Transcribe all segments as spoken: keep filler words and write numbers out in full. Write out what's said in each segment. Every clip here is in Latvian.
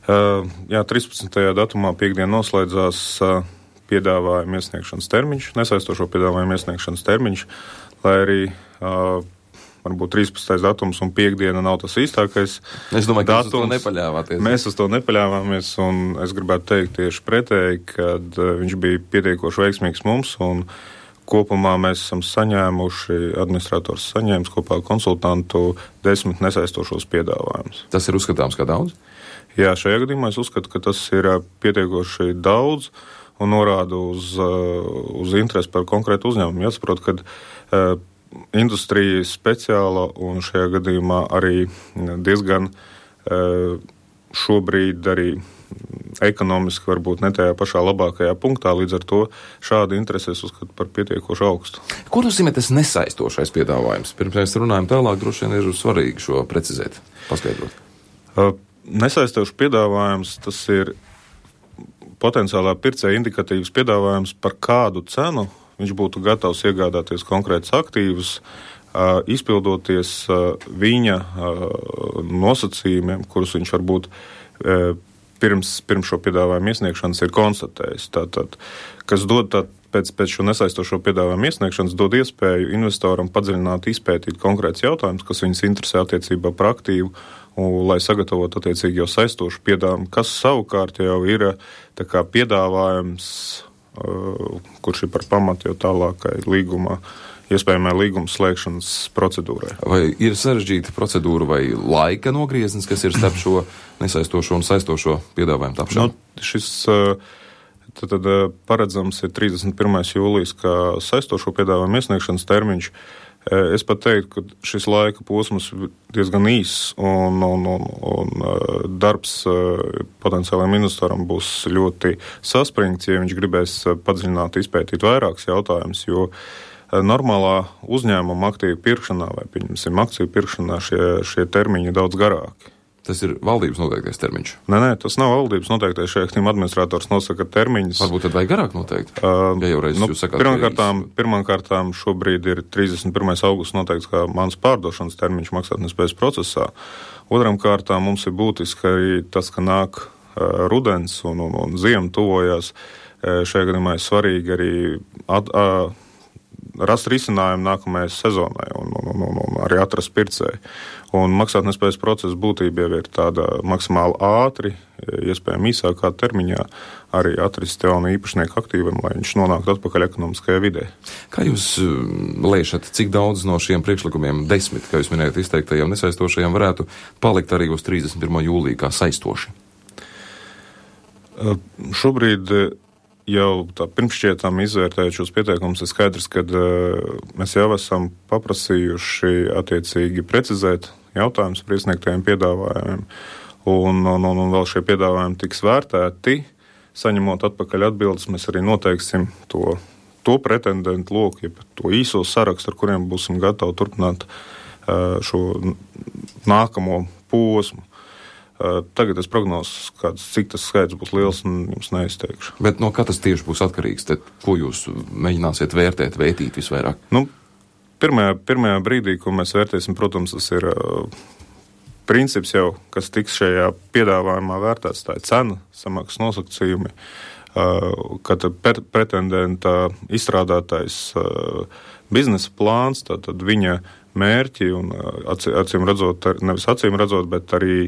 Uh, jā, trīspadsmitajā datumā piekdien noslēdzās uh, piedāvājuma iesniegšanas termiņš, nesaistošo piedāvājuma iesniegšanas termiņš, lai arī uh, varbūt trīspadsmitais datums un piekdiena nav tas īstākais. Es domāju, ka datums. Jūs uz to nepaļāvāties. Mēs uz to nepaļāvāmies, un es gribētu teikt tieši pretēji, kad uh, viņš bija pietiekoši veiksmīgs mums, un kopumā mēs esam saņēmuši, administrators saņēmis kopā ar konsultantu desmit nesaistošos piedāvājumus. Tas ir uzskatāms kā daudz? Jā, šajā gadījumā es uzskatu, ka tas ir pietiekoši daudz un norāda uz, uz interesi par konkrētu uzņēmumu. Jāsaprot, ka uh, industrija speciāla un šajā gadījumā arī diezgan uh, šobrīd arī ekonomiski varbūt ne tajā pašā labākajā punktā, līdz ar to šādu interesi es uzskatu par pietiekoši augstu. Ko nozīmē tas nesaistošais piedāvājums? Pirms mēs runājam tālāk, droši vien ir svarīgi šo precizēt, paskaidrot. Uh, nesaistošs piedāvājums, tas ir potenciālā pircēja indikatīvs piedāvājums, par kādu cenu viņš būtu gatavs iegādāties konkrētus aktīvus, uh, izpildoties uh, viņa uh, nosacījumiem, kurus viņš varbūt uh, pirms, pirms šo piedāvājumu iesniegšanas ir konstatējis. Tātad, kas dod tā, pēc, pēc šo nesaistošo piedāvājumu iesniegšanas, dod iespēju investoram padziļināt, izpētīt konkrēts jautājums, kas viņas interesē attiecībā par aktīvu, un, lai sagatavotu attiecīgi jau saistošu piedāvājumu, kas savukārt jau ir tā kā piedāvājums, uh, kurš ir par pamatu jau tālākai līgumā, iespējamai līguma slēgšanas procedūrai. Vai ir sarežģīta procedūra vai laika nogrieznis, kas ir starp šo nesaistošo un saistošo piedāvājumu tapšanu? Nu, šis uh, tad, tad, paredzams ir trīsdesmit pirmais jūlijas, kā saistošo piedāvājumu iesniegšanas termiņš. Es pat teiktu, ka šis laika posms ir diezgan īss un, un, un, un darbs potenciālajiem investoram būs ļoti saspringts, ja viņš gribēs padziļināt, izpētīt vairākus jautājumus, jo normālā uzņēmuma aktīvu pirkšanā vai, pieņemsim, akciju pirkšanā šie, šie termiņi ir daudz garāki. Tas ir valdības noteiktais termiņš? Nē, nē, tas nav valdības noteiktais. Šajā gadījumā administrators nosaka termiņus. Varbūt tad vajag garāk noteikt? Uh, ja jau reiz nu, jūs sakāt, pirmkārtām, pirmkārtām šobrīd ir trīsdesmit pirmais augusts noteikts kā mans pārdošanas termiņš maksātnespējas procesā. Otram kārtām mums ir būtiski arī tas, ka nāk uh, rudens un, un, un ziema tuvojās. Uh, šajā gadījumā ir svarīgi arī at, uh, rast risinājumu nākamajai sezonai un, un, un, un, un arī atrast pircēju. Un maksātnespējas procesa būtība jau ir tāda maksimāli ātri, iespējami īsākā termiņā, arī atrast jaunu īpašnieku aktīvam, lai viņš nonāktu atpakaļ ekonomiskajā vidē. Kā jūs lēšat, cik daudz no šiem priekšlikumiem, desmit, kā jūs minējat, izteiktajiem nesaistošajiem, varētu palikt arī uz trīsdesmit pirmo jūliju kā saistoši? Uh, šobrīd jau tā pirmšķietām izvērtējot šos pieteikumus, ir skaidrs, ka uh, mēs jau esam paprasījuši attiecīgi precizēt jautājumus par iesniegtajiem piedāvājumiem, un, un, un, un vēl šie piedāvājumi tiks vērtēti. Saņemot atpakaļ atbildes, mēs arī noteiksim to, to pretendentu loku, ja to īso sarakstu, ar kuriem būsim gatavi turpināt uh, šo nākamo posmu. Tagad es prognozes, kāds, cik tas skaits būs liels, un jums neizteikšu. Bet no kā tas tieši būs atkarīgs? Tad, ko jūs mēģināsiet vērtēt, vērtīt visvairāk? Nu, pirmajā, pirmajā brīdī, ko mēs vērtēsim, protams, tas ir uh, princips jau, kas tiks šajā piedāvājumā vērtēts, tā ir cena, samaksas nosacījumi, uh, kad pretendenta izstrādātais uh, biznesa plāns, tātad viņa mērķi un uh, acīm redzot, nevis acīm redzot, bet arī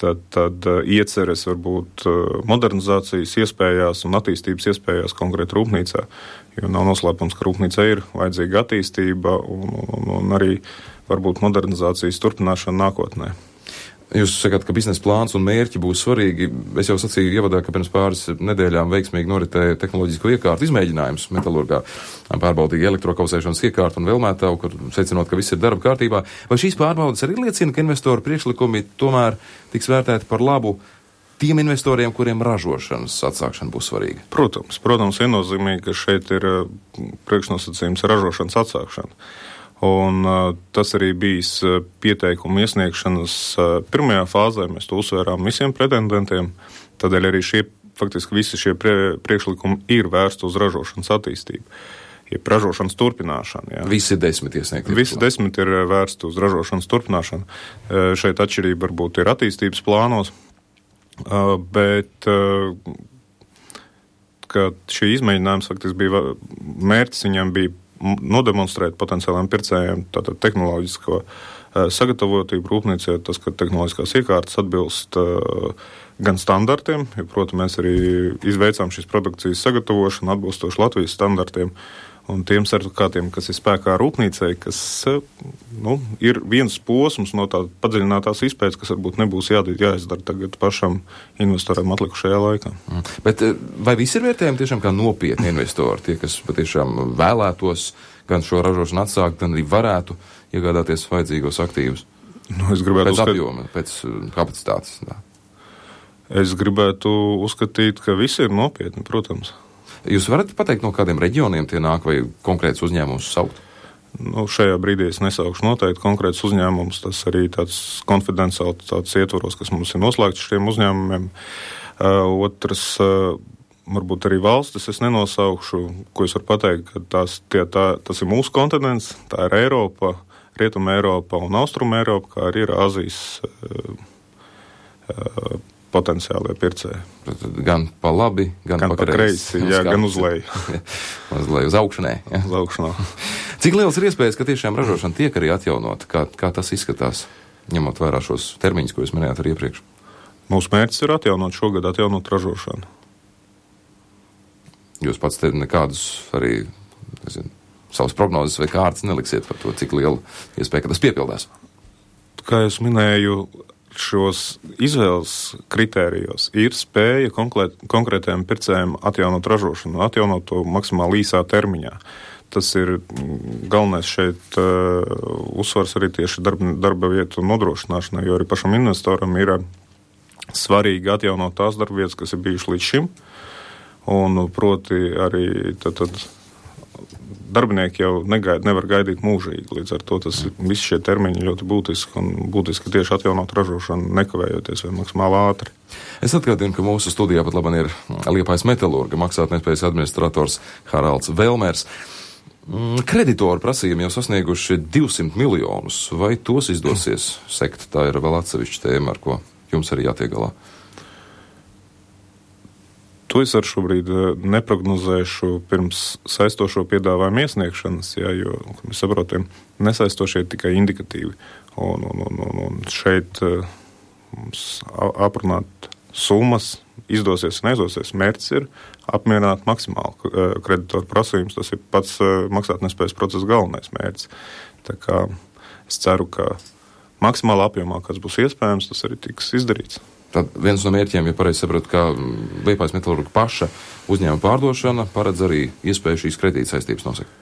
Tad, tad ieceres varbūt modernizācijas iespējās un attīstības iespējās konkrēti rūpnīcā, jo nav noslēpums, ka rūpnīcā ir vajadzīga attīstība un, un, un arī varbūt modernizācijas turpināšana nākotnē. Jūs sakāt, ka biznesa plāns un mērķi būs svarīgi. Es jau sacīju ievadā, ka pirms pāris nedēļām veiksmīgi noritēja tehnoloģisko iekārtu izmēģinājums metalurgā, pārbaudīja elektrokausēšanas iekārtu un vēlmētavu, kur secinot, ka viss ir darba kārtībā. Vai šīs pārbaudas arī liecina, ka investoru priekšlikumi tomēr tiks vērtēti par labu tiem investoriem, kuriem ražošanas atsākšana būs svarīga? Protams, protams, viennozīmīgi, ka šeit ir priekšnosacījums ražošanas atsākšana. Un uh, tas arī bijis uh, pieteikumu iesniegšanas uh, pirmajā fāzē. Mēs to uzsvērām visiem pretendentiem. Tādēļ arī šie, faktiski visi šie prie, priekšlikumi ir vērsti uz ražošanas attīstību. Ja ražošanas turpināšana. Jā. Visi desmit iesniegti. Visi desmit ir vērsti uz ražošanas turpināšanu. Uh, šeit atšķirība varbūt ir attīstības plānos. Bet ka šī izmēģinājums faktiski bija mērķis, viņam bija nodemonstrēt potenciāliem pircējiem tātad tehnoloģisko sagatavotību rūpnīcē, tas, ka tehnoloģiskās iekārtas atbilst gan standartiem, jo, protams, mēs arī izveicām šīs produkcijas sagatavošanu atbilstoši Latvijas standartiem un tiem sertifikātiem, kas ir spēkā rūpnīcei, kas nu, ir viens posms no tā padziļinātās izpētes, kas varbūt nebūs jā, jāizdara tagad pašam investoram atlikušajā laikā. Mm. Bet vai visi ir vērtējumi tiešām kā nopietni investori, tie, kas patiešām vēlētos gan šo ražošanu atsākt, gan arī varētu iegādāties vajadzīgos aktīvus? Nu, es gribētu pēc uzskat... apjoma, pēc kapacitātes. Tā. Es gribētu uzskatīt, ka visi ir nopietni, protams. Jūs varat pateikt, no kādiem reģioniem tie nāk vai konkrēts uzņēmums saukt? Nu, šajā brīdī es nesaukšu noteikti konkrēts uzņēmums, tas arī tāds konfidenciāls tāds ietvaros, kas mums ir noslēgts šiem uzņēmumiem. Uh, otrs, uh, varbūt arī valstis es nenosaukšu, ko es varu pateikt, ka tās, tie, tā, tas ir mūsu kontinents, tā ir Eiropa, Rietuma Eiropa un Austruma Eiropa, kā arī ir Āzijas uh, uh, potenciālie pircēji. Gan pa labi, gan, gan pa kreisi. Jā, gan uz leju. Uz leju, uz augšanai. Ja. Uz augšanā. Cik liels ir iespējas, ka tiešām ražošana tiek arī atjaunot? Kā, kā tas izskatās, ņemot vērā šos termiņus, ko jūs minējāt arī iepriekš? Mūsu mērķis ir atjaunot šogad, atjaunot ražošanu. Jūs pats te nekādus arī, nezinu, savas prognozes vai kārtas neliksiet par to, cik liela iespēja, ka tas piepildās? Kā es minēju, šos izvēles kritērijos ir spēja konkrēt, konkrētajiem pircējiem atjaunot ražošanu, atjaunot to maksimāli īsā termiņā. Tas ir galvenais šeit uh, uzsvars arī tieši darba, darba vietu nodrošināšanai, jo arī pašam investoram ir svarīgi atjaunot tās darba vietas, kas ir bijušas līdz šim, un proti arī tad, tad darbinieki jau negaid, nevar gaidīt mūžīgi. Līdz ar to tas visi šie termiņi ļoti būtiski un būtiski tieši atjaunot ražošanu, nekavējoties vai maksimāli ātri. Es atgādinu, ka mūsu studijā pat labāk ir Liepājas metalurga maksātnespējas administrators Haralds Velmers. Kreditoru prasījumi jau sasnieguši divsimt miljonus. Vai tos izdosies sekt? Tā ir vēl atsevišķa tēma, ar ko jums arī jātiek galā. To es ar šobrīd neprognozēšu pirms saistošo piedāvājumu iesniegšanas, jā, jo, kā mēs saprotam, nesaistošie ir tikai indikatīvi. Un, un, un, un, un šeit mums aprunāt summas izdosies un neizdosies. Mērķis ir apmierināt maksimāli kreditoru prasījumus. Tas ir pats maksātnespējas procesa galvenais mērķis. Tā kā es ceru, ka maksimāli apjomā, kas būs iespējams, tas arī tiks izdarīts. Tad viens no mērķiem, ja pareizi sapratu, ka Liepājas metalurga paša uzņēmuma pārdošana paredz arī iespēju šīs kredīta saistības nosakt.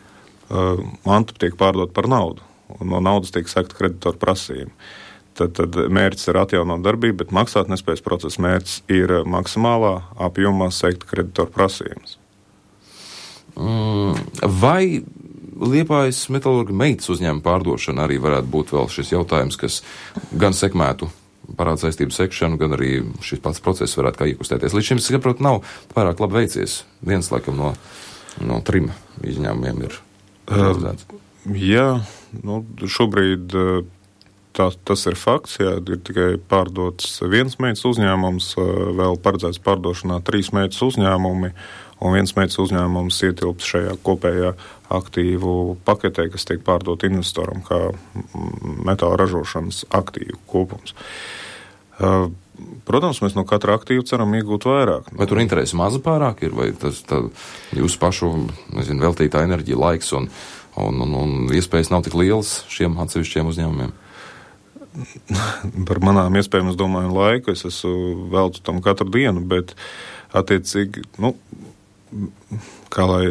Uh, manta tiek pārdot par naudu, un no naudas tiek sekta kreditoru prasījumi. Tad, tad mērķis ir atjaunot darbību, bet maksātnespējas procesa mērķis ir maksimālā apjomā sekt kreditoru prasījumus. Mm, vai Liepājas metalurga meitas uzņēmuma pārdošana arī varētu būt vēl šis jautājums, kas gan sekmētu parāda saistību sekšanu, gan arī šis pats process varētu kā iekustēties. Līdz šim, es saprotu, nav pārāk labi veicies. Viens, laikam, no, no trim izņēmumiem ir realizēts. Uh, jā, nu, šobrīd tā, tas ir fakts, jā, ir tikai pārdots viens meitas uzņēmums, vēl paredzēts pārdošanā trīs meitas uzņēmumi, un viens meitas uzņēmums ietilps šajā kopējā aktīvu paketē, kas tiek pārdot investoram kā metāla ražošanas aktīvu kopums. Protams, mēs no katra aktīva ceram iegūt vairāk. Vai tur interesi maza pārāk ir, vai tas tā, jūsu pašu, nezinu, veltītā enerģija, laiks un, un, un, un iespējas nav tik lielas šiem atsevišķiem uzņēmumiem? Par manām iespējām, es domāju, laiku es esmu veltu tam katru dienu, bet attiecīgi, nu, kā lai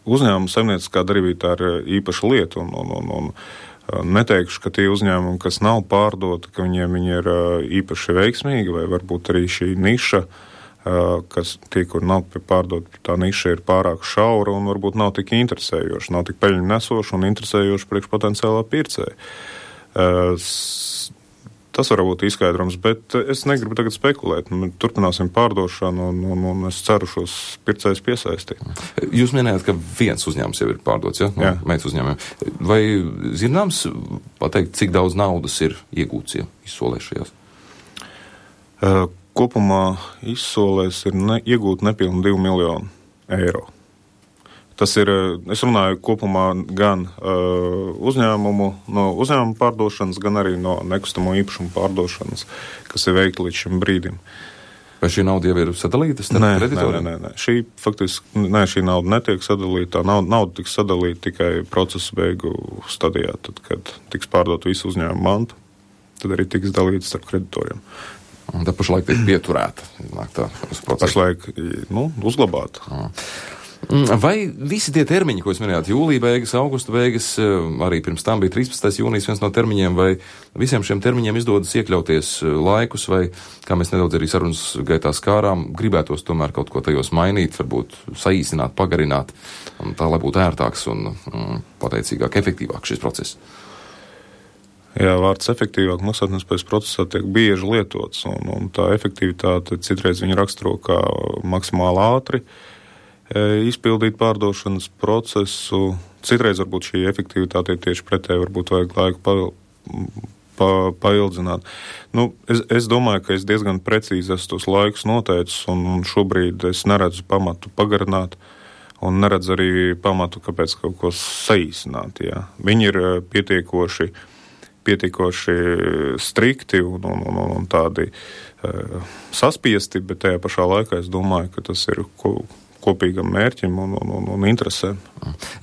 uzņēmuma saimnieciskā darbība tā ir īpaša lieta, un, un, un, un neteikšu, ka tie uzņēmumi, kas nav pārdoti, ka viņiem viņi ir īpaši veiksmīgi, vai varbūt arī šī niša, kas tie, kur nav pārdot, tā niša ir pārāk šaura un varbūt nav tik interesējoša, nav tik peļņu nesoša un interesējoša priekš potenciālā pircēja. Tas var būt izskaidrums, bet es negribu tagad spekulēt. Turpināsim pārdošanu un, un, un es ceru šos pircējus piesaistīt. Jūs minējāt, ka viens uzņēmums jau ir pārdots, ja? No meitas uzņēmumiem. Vai zināms pateikt, cik daudz naudas ir iegūts, ja izsolējušajās? kopumā izsolēs ir ne, iegūt nepilnu divu miljonu eiro. Tas ir, es runāju kopumā gan uh, uzņēmumu, no uzņēmumu pārdošanas, gan arī no nekustamo īpašumu pārdošanas, kas ir veikta līdz šim brīdim. Vai šī nauda jau ir sadalīta starp nē, kreditoriem? Nē, nē, nē. Šī faktiski, nē, šī nauda netiek sadalīta. Nauda, nauda tiks sadalīta tikai procesa beigu stadijā, tad, kad tiks pārdot visu uzņēmumu mantu, tad arī tiks dalīta starp kreditoriem. Un tad pašlaik tiek pieturēta. Tā, pašlaik, nu, uzglabāta. Mm. Vai visi tie termiņi, ko jūs minējāt, jūlija beigas, augusta beigas, arī pirms tam bija trīspadsmitais jūnijas viens no termiņiem, vai visiem šiem termiņiem izdodas iekļauties laikus, vai, kā mēs nedaudz arī sarunas gaitā skārām, gribētos tomēr kaut ko tajos mainīt, varbūt saīsināt, pagarināt, tā, lai būtu ērtāks un mm, pateicīgāk, efektīvāk šis process? Jā, vārds efektīvāk maksātnespējas procesā tiek bieži lietots, un, un tā efektivitāte citreiz viņa raksturo kā maksimāli ātri izpildīt pārdošanas procesu. Citreiz varbūt šī efektivitāte ir tieši pretēji, varbūt vajag laiku pa, pa, paildzināt. Nu, es, es domāju, ka es diezgan precīzi esmu tos laikus noteicis, un, un šobrīd es neredzu pamatu pagarināt, un neredzu arī pamatu, kāpēc kaut ko saīsināt. Jā. Viņi ir pietiekoši, pietiekoši strikti un, un, un, un tādi uh, saspiesti, bet tajā pašā laikā es domāju, ka tas ir ko, kopīgam mērķim un, un, un, un interesēm.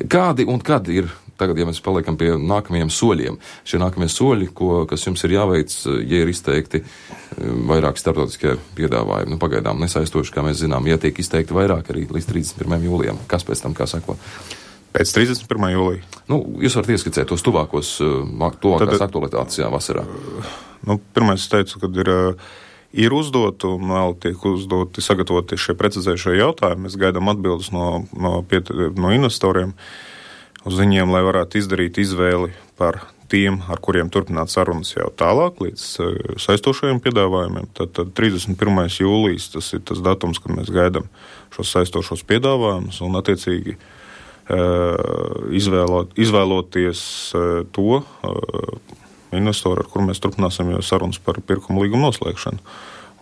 Kādi un kad ir, tagad, ja mēs paliekam pie nākamajiem soļiem, šie nākamie soļi, ko, kas jums ir jāveic, ja ir izteikti vairāk starptautiskie piedāvājumi, nu pagaidām nesaistoši, kā mēs zinām, ja tiek izteikti vairāk arī līdz trīsdesmit pirmajam jūlijam, kas pēc tam kā sako? Pēc trīsdesmit pirmā jūlija. Nu, jūs varat ieskicēt tos tuvākos, tuvākās Tad, aktualitātes, jā, vasarā. Nu, pirmais es teicu, kad ir Ir uzdot un vēl tiek uzdoti sagatavoti šie precizējušie jautājumi. Mēs gaidām atbildes no, no, piet, no investoriem uz viņiem, lai varētu izdarīt izvēli par tiem, ar kuriem turpināt sarunas jau tālāk līdz saistošajiem piedāvājumiem. Tad, tad trīsdesmit pirmais jūlijas tas ir tas datums, kad mēs gaidām šos saistošos piedāvājumus un attiecīgi izvēlot, izvēloties to investoru, ar kuru mēs turpināsim jau sarunas par pirkuma līgumu noslēgšanu.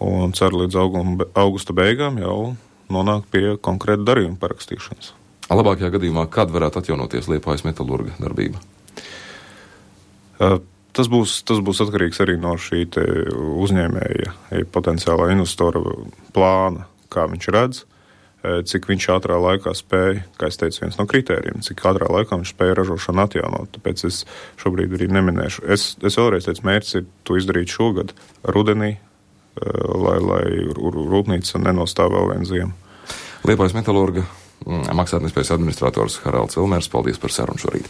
Un ceru līdz auguma, augusta beigām jau nonākt pie konkrēta darījuma parakstīšanas. Labākajā gadījumā, kad varētu atjaunoties Liepājas metalurga darbība? Tas būs, tas būs atkarīgs arī no šī te uzņēmēja, potenciālā investora plāna, kā viņš redz, cik viņš ātrā laikā spēja, kā es teicu, viens no kritērijiem, cik ātrā laikā viņš spēja ražošanu atjaunot. Tāpēc es šobrīd arī neminēšu. Es, es vēlreiz teicu, mērķis ir to izdarīt šogad, rudenī, lai, lai rūpnīca nenostāv vēl vienu ziemu. Liepājas metalurga maksātnespējas administrators Haralds Elmers, paldies par sarunu šorīt.